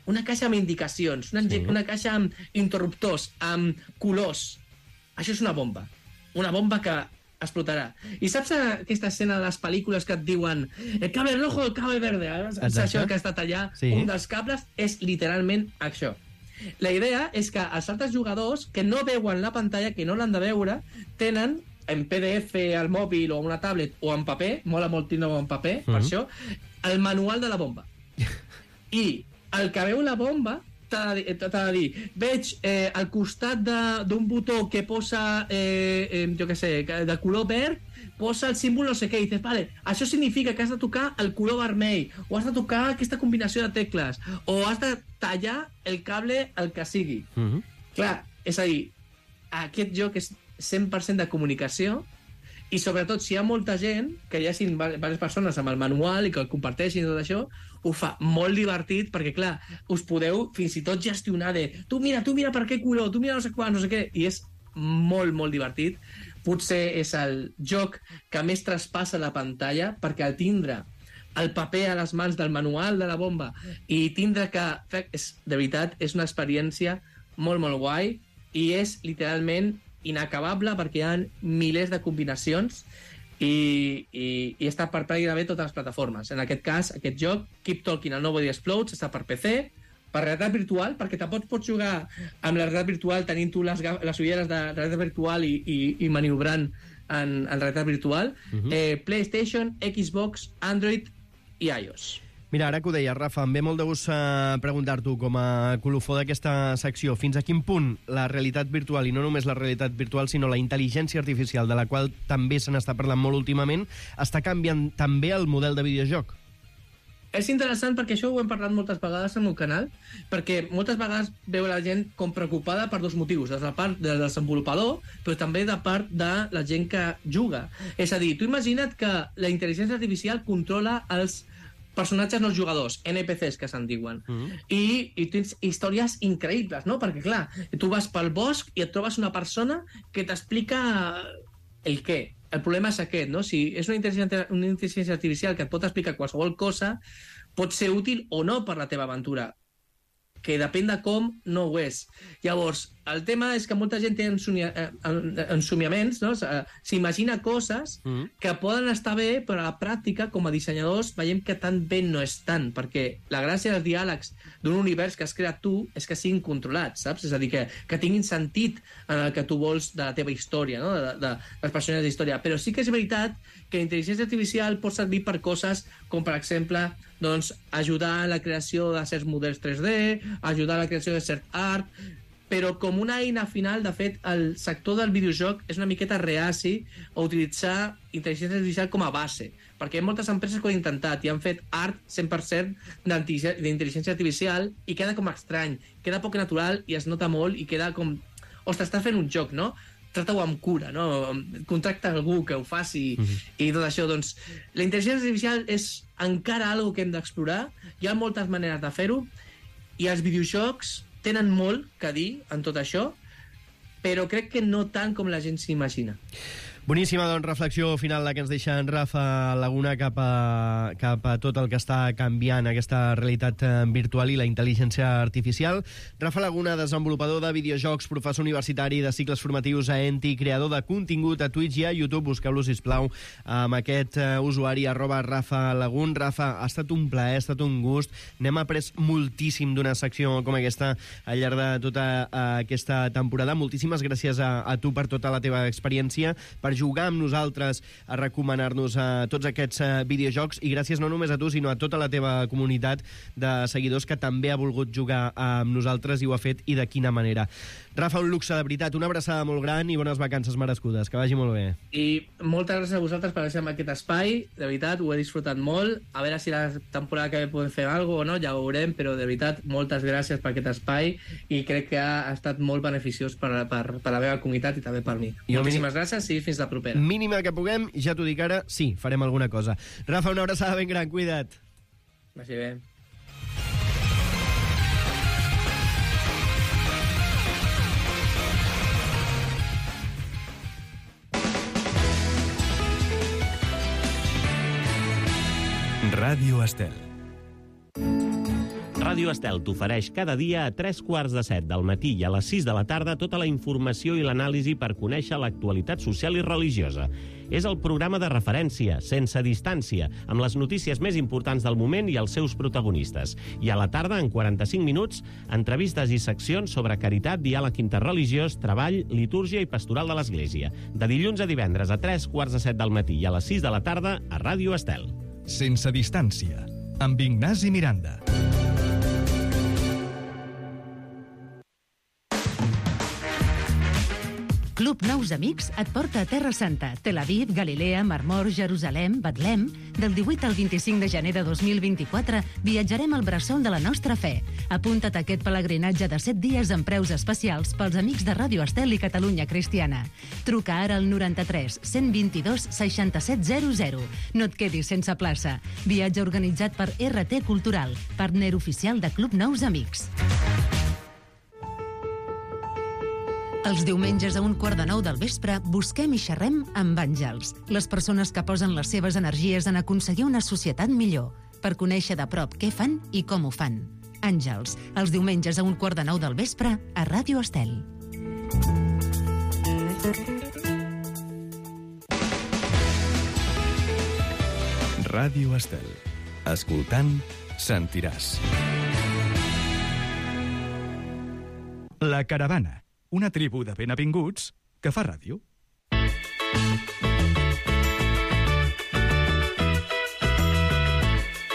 Una caixa amb indicacions, una, sí. una caixa amb interruptors, amb colors. Això és una bomba. Una bomba que explotarà. I saps aquesta escena de les pel·lícules que et diuen el cable rojo, el cable verde? Exacte. Això que ha estat allà, sí. un dels cables, és literalment això. La idea és que els altres jugadors que no veuen la pantalla, que no l'han de veure, tenen en P D F al mòbil o una tablet o en paper, mola molt tindre-ho en paper, mm-hmm. per això, el manual de la bomba. I el que veu la bomba t'ha de, de dir, veig eh, al costat d'un botó que posa, eh, eh, jo què sé, de color verd, posa el símbol no sé què, i dices, vale, això significa que has de tocar el color vermell, o has de tocar aquesta combinació de tecles, o has de tallar el cable el que sigui. Mm-hmm. Clar, és a dir, aquest joc és cent per cent de comunicació, i sobretot si hi ha molta gent, que hi hagin diverses persones amb el manual i que el comparteixin i tot això, ho fa molt divertit perquè, clar, us podeu fins i tot gestionar de tu mira, tu mira per què color, tu mira no sé quan, no sé què, i és molt, molt divertit. Potser és el joc que més traspassa la pantalla perquè al tindre el paper a les mans del manual de la bomba i tindre que... És, de veritat, és una experiència molt, molt guai i és literalment inacabable perquè hi ha milers de combinacions i, i, i està per pràcticament totes les plataformes. En aquest cas, aquest joc, Keep Talking and Nobody Explodes, està per P C, per realitat virtual, perquè tampoc pots jugar amb la realitat virtual tenint tu les, les ulleres de realitat virtual i, i, i maniobrant en, en realitat virtual. Uh-huh. eh, PlayStation, Xbox, Android i iOS. Mira, ara que ho deia, Rafa, em ve molt de gust uh, preguntar-t'ho com a colofó d'aquesta secció. Fins a quin punt la realitat virtual, i no només la realitat virtual, sinó la intel·ligència artificial, de la qual també se n'està parlant molt últimament, està canviant també el model de videojoc? És interessant perquè això ho hem parlat moltes vegades al meu canal, perquè moltes vegades veu la gent com preocupada per dos motius, des de la part del desenvolupador, però també de part de la gent que juga. És a dir, tu imagina't que la intel·ligència artificial controla els personatges no jugadors, N P Cs que se'n diuen, mm-hmm. I, i tens històries increïbles, no? Perquè, clar, tu vas pel bosc i et trobes una persona que t'explica el què. El problema és aquest, no? Si és una intel·ligència, una intel·ligència artificial que et pot explicar qualsevol cosa, pot ser útil o no per la teva aventura, que depèn de com no ho és. Llavors, el tema és que molta gent té ensomia, ensomiaments, no? S'imagina coses mm. que poden estar bé, però a la pràctica, com a dissenyadors, veiem que tan bé no és tant, perquè la gràcia dels diàlegs d'un univers que has creat tu és que siguin controlats, saps? És a dir, que, que tinguin sentit en el que tu vols de la teva història, no? de, de, de les persones d'història. Però sí que és veritat que la intel·ligència artificial pot servir per coses com, per exemple, doncs, ajudar a la creació de certs models tres D, ajudar a la creació de cert art, però com una eina final, de fet, el sector del videojoc és una miqueta reaci a utilitzar intel·ligència artificial com a base, perquè hi ha moltes empreses que ho han intentat i han fet art cent per cent d'intel·ligència artificial i queda com estrany, queda poc natural i es nota molt i queda com... Ostres, estàs fent un joc, no? Trata-ho amb cura, no? Contracta algú que ho faci mm-hmm. i tot això. Doncs la intel·ligència artificial és encara algo que hem d'explorar, hi ha moltes maneres de fer-ho i els videojocs tenen molt que dir en tot això, però crec que no tant com la gent s'imagina. Boníssima, doncs, reflexió final la que ens deixa en Rafa Laguna cap a, cap a tot el que està canviant aquesta realitat virtual i la intel·ligència artificial. Rafa Laguna, desenvolupador de videojocs, professor universitari de cicles formatius a Enti, creador de contingut a Twitch i a YouTube. Busqueu-lo, sisplau, amb aquest uh, usuari, arroba Rafa Lagun. Rafa, ha estat un plaer, ha estat un gust. N'hem après moltíssim d'una secció com aquesta al llarg de tota uh, aquesta temporada. Moltíssimes gràcies a, a tu per tota la teva experiència, per jugar amb nosaltres, a recomanar-nos a tots aquests uh, videojocs, i gràcies no només a tu, sinó a tota la teva comunitat de seguidors que també ha volgut jugar amb nosaltres i ho ha fet, i de quina manera. Rafa, un luxe, de veritat, una abraçada molt gran i bones vacances merescudes, que vagi molt bé. I moltes gràcies a vosaltres per deixar-me aquest espai, de veritat, ho he disfrutat molt, a veure si la temporada que ve podem fer alguna cosa o no, ja ho veurem, però de veritat, moltes gràcies per aquest espai i crec que ha estat molt beneficiós per, per, per la meva comunitat i també per mi. I moltíssimes gràcies i fins la propera. Mínima que puguem, ja t'ho dic ara, sí, farem alguna cosa. Rafa, una abraçada ben gran, cuida't. Vagi bé. Ràdio Estel. Ràdio Estel t'ofereix cada dia a tres quarts de set del matí i a les sis de la tarda tota la informació i l'anàlisi per conèixer l'actualitat social i religiosa. És el programa de referència, sense distància, amb les notícies més importants del moment i els seus protagonistes. I a la tarda, en quaranta-cinc minuts, entrevistes i seccions sobre caritat, diàleg interreligiós, treball, litúrgia i pastoral de l'Església. De dilluns a divendres a tres quarts de set del matí i a les sis de la tarda a Ràdio Estel. Sense distància, amb Ignasi Miranda. Club Nous Amics et porta a Terra Santa, Tel Aviv, Galilea, Mar Mor, Jerusalem, Betlem. Del divuit al vint-i-cinc de gener de dos mil vint-i-quatre viatjarem al bressol de la nostra fe. Apunta't a aquest pelegrinatge de set dies amb preus especials pels amics de Ràdio Estel i Catalunya Cristiana. Truca ara al noranta-tres cent vint-i-dos seixanta-set zero zero. No et quedis sense plaça. Viatge organitzat per R T Cultural, partner oficial de Club Nous Amics. Els diumenges a un quart de nou del vespre busquem i xerrem amb àngels, les persones que posen les seves energies en aconseguir una societat millor, per conèixer de prop què fan i com ho fan. Àngels, els diumenges a un quart de nou del vespre a Ràdio Estel. Ràdio Estel. Escoltant, sentiràs. La Caravana, una tribu de benavinguts que fa ràdio.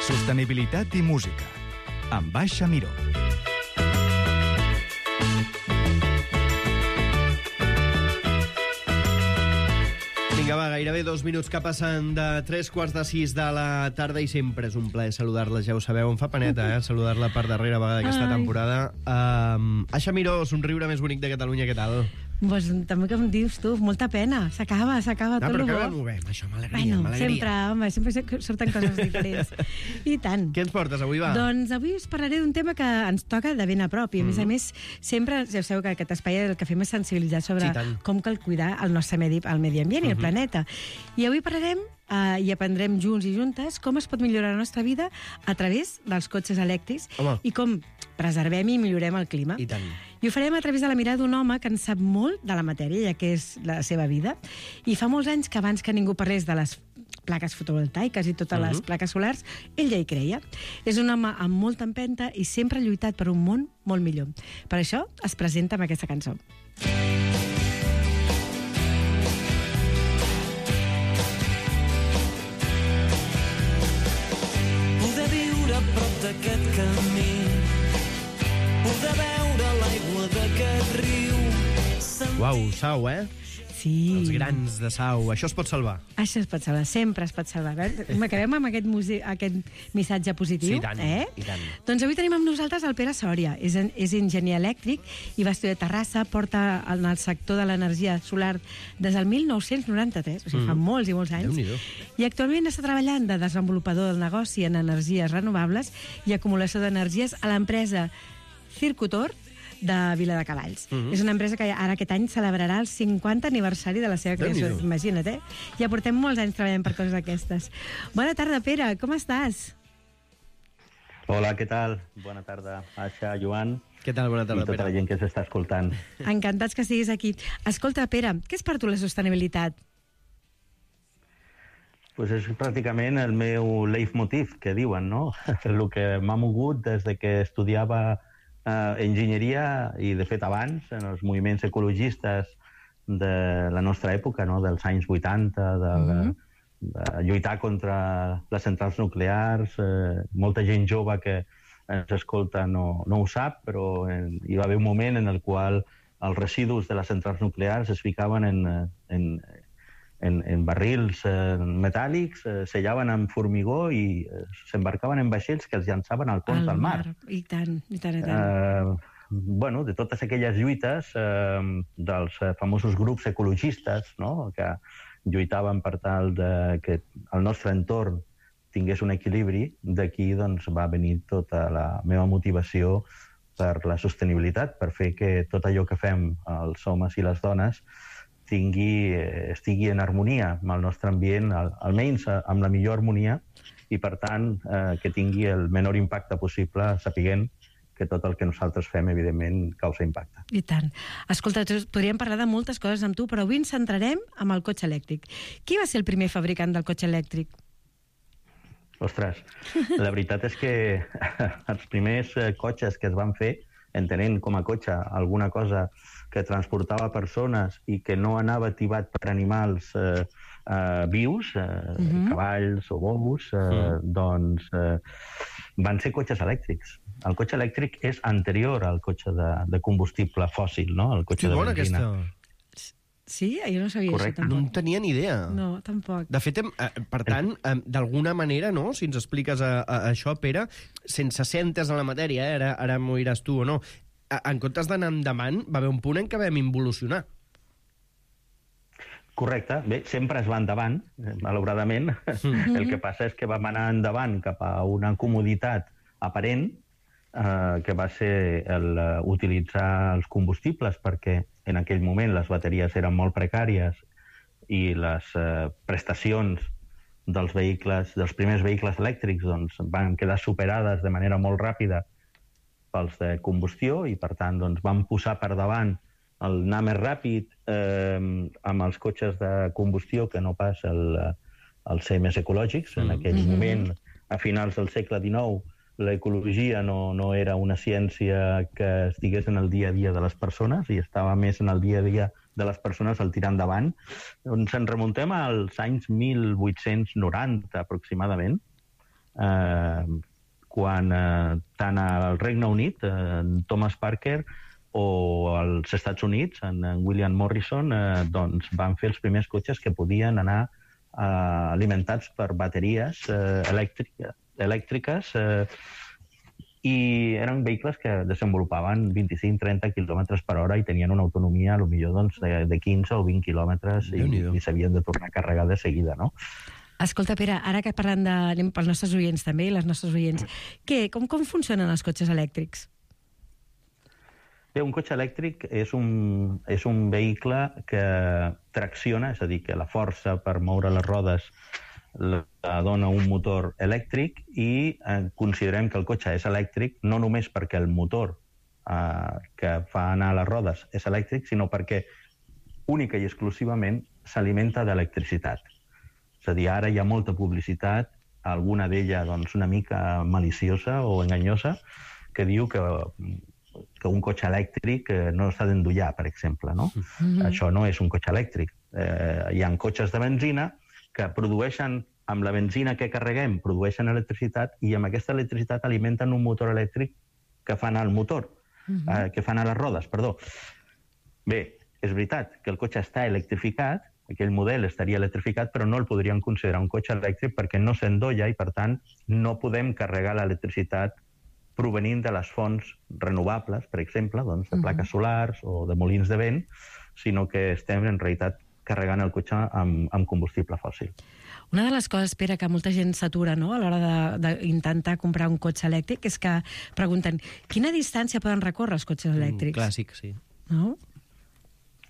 Sostenibilitat i música, amb Baixa Miró. Vinga, va, gairebé dos minuts que passen de tres quarts de sis de la tarda i sempre és un plaer saludar-la, ja ho sabeu. Em fa paneta, eh, saludar-la per darrera vegada d'aquesta temporada. Um, Aixa Miró, somriure més bonic de Catalunya, què tal? Pues, també que em dius tu, molta pena. S'acaba, s'acaba no, tot el bo. No, però que ho movem, això, m'alegria, bueno, m'alegria. sempre, home, sempre surten coses diferents. I tant. Què ens portes avui, va? Doncs avui us parlaré d'un tema que ens toca de ben a prop. I a més a més, sempre, ja sabeu que aquest espai el que fem és sensibilitzar sobre Sí, com cal cuidar el nostre medi, el medi ambient i el planeta. I avui parlarem Uh, i aprendrem junts i juntes com es pot millorar la nostra vida a través dels cotxes elèctrics. Home. I com preservem i millorem el clima. I tant. I ho farem a través de la mirada d'un home que en sap molt de la matèria, ja que és la seva vida. I fa molts anys que abans que ningú parlés de les plaques fotovoltaiques i totes les plaques solars, ell ja hi creia. És un home amb molta empenta i sempre ha lluitat per un món molt millor. Per això es presenta amb aquesta cançó. d'aquest camí, poder veure l'aigua d'aquest riu. Uau, Sau, eh? Sí. Els grans de Sau. Això es pot salvar. Això es pot salvar, sempre es pot salvar. Acabem amb aquest, muse... aquest missatge positiu. Sí, i tant, eh? i tant. Doncs avui tenim amb nosaltres el Pere Sòria. És, en... és enginyer elèctric i va estudiar a Terrassa, porta en el sector de l'energia solar des del mil nou-cents noranta-tres, o sigui, mm. fa molts i molts anys. Déu-n'hi-do. I actualment està treballant de desenvolupador del negoci en energies renovables i acumulació d'energies a l'empresa Circutor de Viladecavalls. Mm-hmm. És una empresa que ara aquest any celebrarà el cinquanta aniversari de la seva creació. Imagina't, eh? Ja portem molts anys treballant per coses d'aquestes. Bona tarda, Pere, com estàs? Hola, què tal? Bona tarda, Aixa, Joan. Què tal? Bona tarda, Pere. I tota Pere. la gent que s'està escoltant. Encantats que estiguis aquí. Escolta, Pere, què és per tu la sostenibilitat? Pues és pràcticament el meu leitmotiv, que diuen, no? El que m'ha mogut des de que estudiava eh, enginyeria i, de fet, abans, en els moviments ecologistes de la nostra època, no? Dels anys vuitanta, de, mm-hmm. de lluitar contra les centrals nuclears. Eh, molta gent jove que ens escolta no, no ho sap, però en, hi va haver un moment en el qual els residus de les centrals nuclears es ficaven en, en, en, en barrils eh, metàl·lics, eh, sellaven amb formigó i eh, s'embarcaven en vaixells que els llançaven al fons del mar. I tant, i tant, i tant. Eh, bueno, de totes aquelles lluites eh, dels famosos grups ecologistes, no?, que lluitaven per tal de que el nostre entorn tingués un equilibri, d'aquí doncs, va venir tota la meva motivació per la sostenibilitat, per fer que tot allò que fem els homes i les dones tingui, estigui en harmonia amb el nostre ambient, al, almenys amb la millor harmonia, i per tant eh, que tingui el menor impacte possible, sapiguent que tot el que nosaltres fem, evidentment, causa impacte. I tant. Escolta, podríem parlar de moltes coses amb tu, però avui ens centrarem amb el cotxe elèctric. Qui va ser el primer fabricant del cotxe elèctric? Ostres, la veritat és que els primers cotxes que es van fer, entenent com a cotxe alguna cosa que transportava persones i que no anava tibat per animals eh, eh, vius, eh, mm-hmm. cavalls o bous, eh, mm. doncs eh, van ser cotxes elèctrics. El cotxe elèctric és anterior al cotxe de, de combustible fòssil, no? El cotxe que de bona benzina. aquesta... Sí? Jo no sabia Correcte. això, tampoc. No en tenia ni idea. No, tampoc. De fet, hem, eh, per tant, eh, d'alguna manera, no?, si ens expliques a, a, a això, Pere, sense ser entès en la matèria, eh, ara, ara m'ho diràs tu o no, a, en comptes d'anar endavant, va haver un punt en què vam involucionar. Correcte. Bé, sempre es va endavant, malauradament. Mm-hmm. El que passa és que vam anar endavant cap a una comoditat aparent, eh, que va ser el, uh, utilitzar els combustibles, perquè en aquell moment les bateries eren molt precàries i les eh, prestacions dels vehicles, dels primers vehicles elèctrics, doncs, van quedar superades de manera molt ràpida pels de combustió i, per tant, doncs, van posar per davant el anar més ràpid eh, amb els cotxes de combustió que no pas el, el ser més ecològics. En aquell mm-hmm. moment, a finals del segle dinou, l'ecologia no, no era una ciència que estigués en el dia a dia de les persones i estava més en el dia a dia de les persones al tirar endavant. Doncs ens remuntem als anys mil vuit-cents noranta aproximadament, eh, quan eh, tant al Regne Unit, eh, Thomas Parker, o als Estats Units, en, en William Morrison, eh, doncs van fer els primers cotxes que podien anar eh, alimentats per bateries eh, elèctriques, elèctriques eh, i eren vehicles que desenvolupaven vint-i-cinc a trenta quilòmetres per hora i tenien una autonomia, a lo millor, doncs, de, de quinze o vint quilòmetres i, i s'havien de tornar a carregar de seguida, no? Escolta, Pere, ara que parlant de... anem pels nostres oients també, i les nostres oients, què, com, com funcionen els cotxes elèctrics? Bé, un cotxe elèctric és un, és un vehicle que tracciona, és a dir, que la força per moure les rodes la dona un motor elèctric i eh, considerem que el cotxe és elèctric no només perquè el motor eh, que fa anar les rodes és elèctric, sinó perquè única i exclusivament s'alimenta d'electricitat. És a dir, ara hi ha molta publicitat, alguna d'ella doncs, una mica maliciosa o enganyosa, que diu que, que un cotxe elèctric eh, no s'ha d'endollar, per exemple. No? Mm-hmm. Això no és un cotxe elèctric. Eh, hi ha cotxes de benzina que produeixen, amb la benzina que carreguem, produeixen electricitat i amb aquesta electricitat alimenten un motor elèctric que fa anar el motor, uh-huh. eh, que fa anar les rodes, perdó. Bé, és veritat que el cotxe està electrificat, aquell model estaria electrificat, però no el podríem considerar un cotxe elèctric perquè no s'endolla i, per tant, no podem carregar l'electricitat provenint de les fonts renovables, per exemple, doncs, de plaques solars o de molins de vent, sinó que estem, en realitat, carregant el cotxe amb, amb combustible fòssil. Una de les coses, Pere, que molta gent s'atura, no?, a l'hora d'intentar comprar un cotxe elèctric és que pregunten quina distància poden recórrer els cotxes elèctrics. Mm, clàssic, sí. No?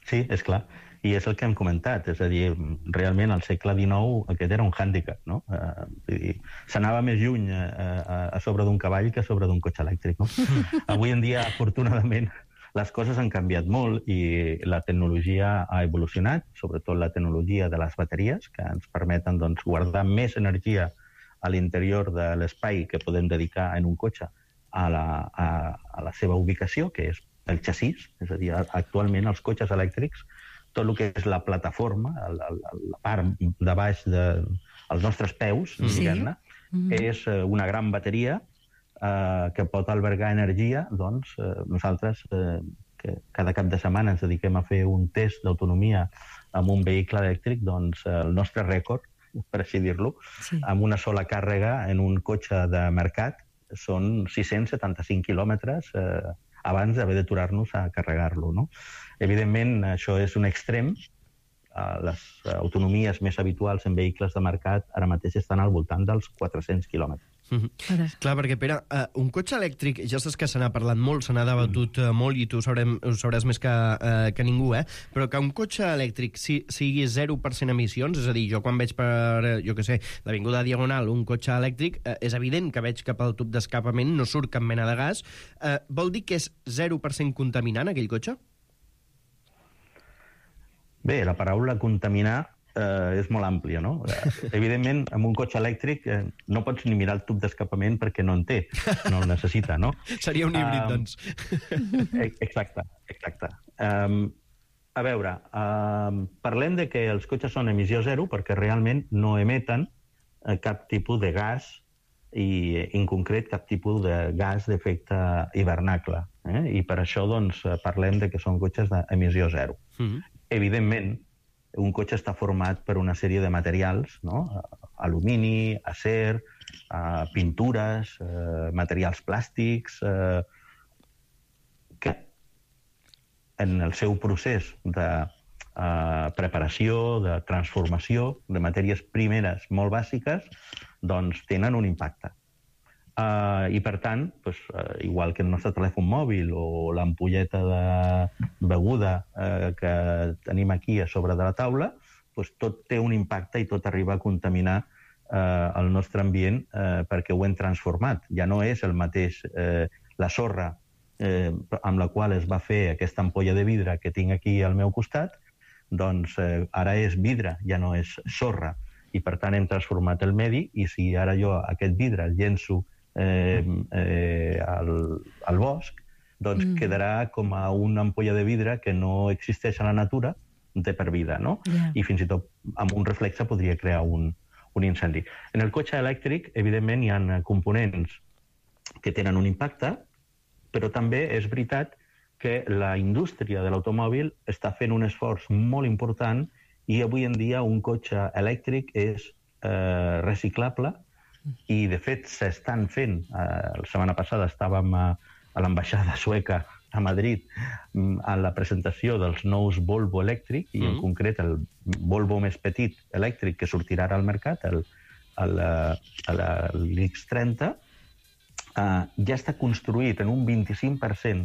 Sí, és clar. I és el que hem comentat. És a dir, realment al segle dinou aquest era un hàndicap, no? Eh, s'anava més lluny a, a sobre d'un cavall que a sobre d'un cotxe elèctric, no? Avui en dia, afortunadament, les coses han canviat molt i la tecnologia ha evolucionat, sobretot la tecnologia de les bateries, que ens permeten doncs, guardar més energia a l'interior de l'espai que podem dedicar en un cotxe a la, a, a la seva ubicació, que és el xassís. És a dir, actualment els cotxes elèctrics, tot el que és la plataforma, la, la part de baix dels de, nostres peus, sí. diguem-ne, mm-hmm. és una gran bateria Eh, que pot albergar energia, doncs eh, nosaltres eh, que cada cap de setmana ens dediquem a fer un test d'autonomia amb un vehicle elèctric, doncs eh, el nostre rècord, per així dir-lo, sí. amb una sola càrrega en un cotxe de mercat són sis-cents setanta-cinc quilòmetres eh, abans d'haver d'aturar-nos a carregar-lo. No? Evidentment, això és un extrem. Eh, les autonomies més habituals en vehicles de mercat ara mateix estan al voltant dels quatre-cents quilòmetres. Mm-hmm. Clar, perquè, Pere, uh, un cotxe elèctric, ja saps que se n'ha parlat molt, se n'ha debatut uh, molt i tu sabrem, ho sabràs més que, uh, que ningú, eh? Però que un cotxe elèctric si, sigui zero per cent emissions, és a dir, jo quan veig per, jo què sé, l'Avinguda Diagonal un cotxe elèctric, uh, és evident que veig cap al tub d'escapament, no surt cap mena de gas. Uh, vol dir que és zero per cent contaminant, aquell cotxe? Bé, la paraula contaminar eh, és molt àmplia, no? Evidentment, amb un cotxe elèctric eh, no pots ni mirar el tub d'escapament perquè no en té, no el necessita, no? Seria un híbrid, um, doncs. Exacte, exacte. Um, a veure, um, parlem de que els cotxes són emissió zero perquè realment no emeten eh, cap tipus de gas i, en concret, cap tipus de gas d'efecte hivernacle. Eh? I per això, doncs, parlem de que són cotxes d'emissió zero. Mm-hmm. Evidentment, un cotxe està format per una sèrie de materials, no? Alumini, acer, uh, pintures, uh, materials plàstics, uh, que en el seu procés de uh, preparació, de transformació de matèries primeres molt bàsiques, doncs tenen un impacte. Uh, I, per tant, pues, uh, igual que el nostre telèfon mòbil o l'ampolleta de beguda uh, que tenim aquí a sobre de la taula, pues, tot té un impacte i tot arriba a contaminar uh, el nostre ambient uh, perquè ho hem transformat. Ja no és el mateix uh, la sorra uh, amb la qual es va fer aquesta ampolla de vidre que tinc aquí al meu costat, doncs uh, ara és vidre, ja no és sorra. I, per tant, hem transformat el medi i si ara jo aquest vidre el llenço eh, eh, al, al bosc, doncs mm. quedarà com a una ampolla de vidre que no existeix a la natura de per vida, no? Yeah. I fins i tot amb un reflexe podria crear un, un incendi. En el cotxe elèctric, evidentment, hi ha components que tenen un impacte, però també és veritat que la indústria de l'automòbil està fent un esforç molt important i avui en dia un cotxe elèctric és eh, reciclable i, de fet, s'estan fent. Eh, la setmana passada estàvem a, a l'ambaixada sueca a Madrid a la presentació dels nous Volvo elèctric i, mm. en concret, el Volvo més petit elèctric que sortirà ara al mercat, el, el, el, l'X trenta, Uh, ja està construït en un vint-i-cinc per cent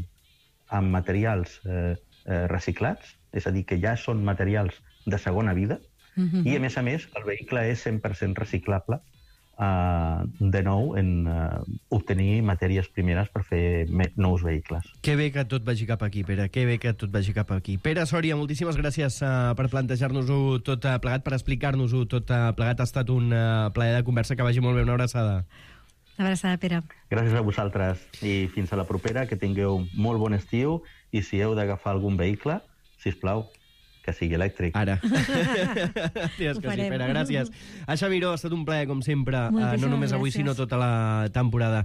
amb materials eh, eh, reciclats, és a dir, que ja són materials de segona vida, mm-hmm. i, a més a més, el vehicle és cent per cent reciclable, uh, de nou, en uh, obtenir matèries primeres per fer nous vehicles. Que bé que tot vagi cap aquí, Pere, que bé que tot vagi cap aquí. Pere Sòria, moltíssimes gràcies uh, per plantejar-nos-ho tot uh, plegat, per explicar-nos-ho tot uh, plegat. Ha estat un uh, plaer de conversa, que vagi molt bé, una abraçada. Una abraçada, Pere. Gràcies a vosaltres i fins a la propera, que tingueu molt bon estiu i si heu d'agafar algun vehicle, sisplau, que sigui elèctric. Ara. Digues que sí, Pere, gràcies. Aixa Miró, ha estat un plaer, com sempre, uh, no només avui, gràcies. Sinó tota la temporada.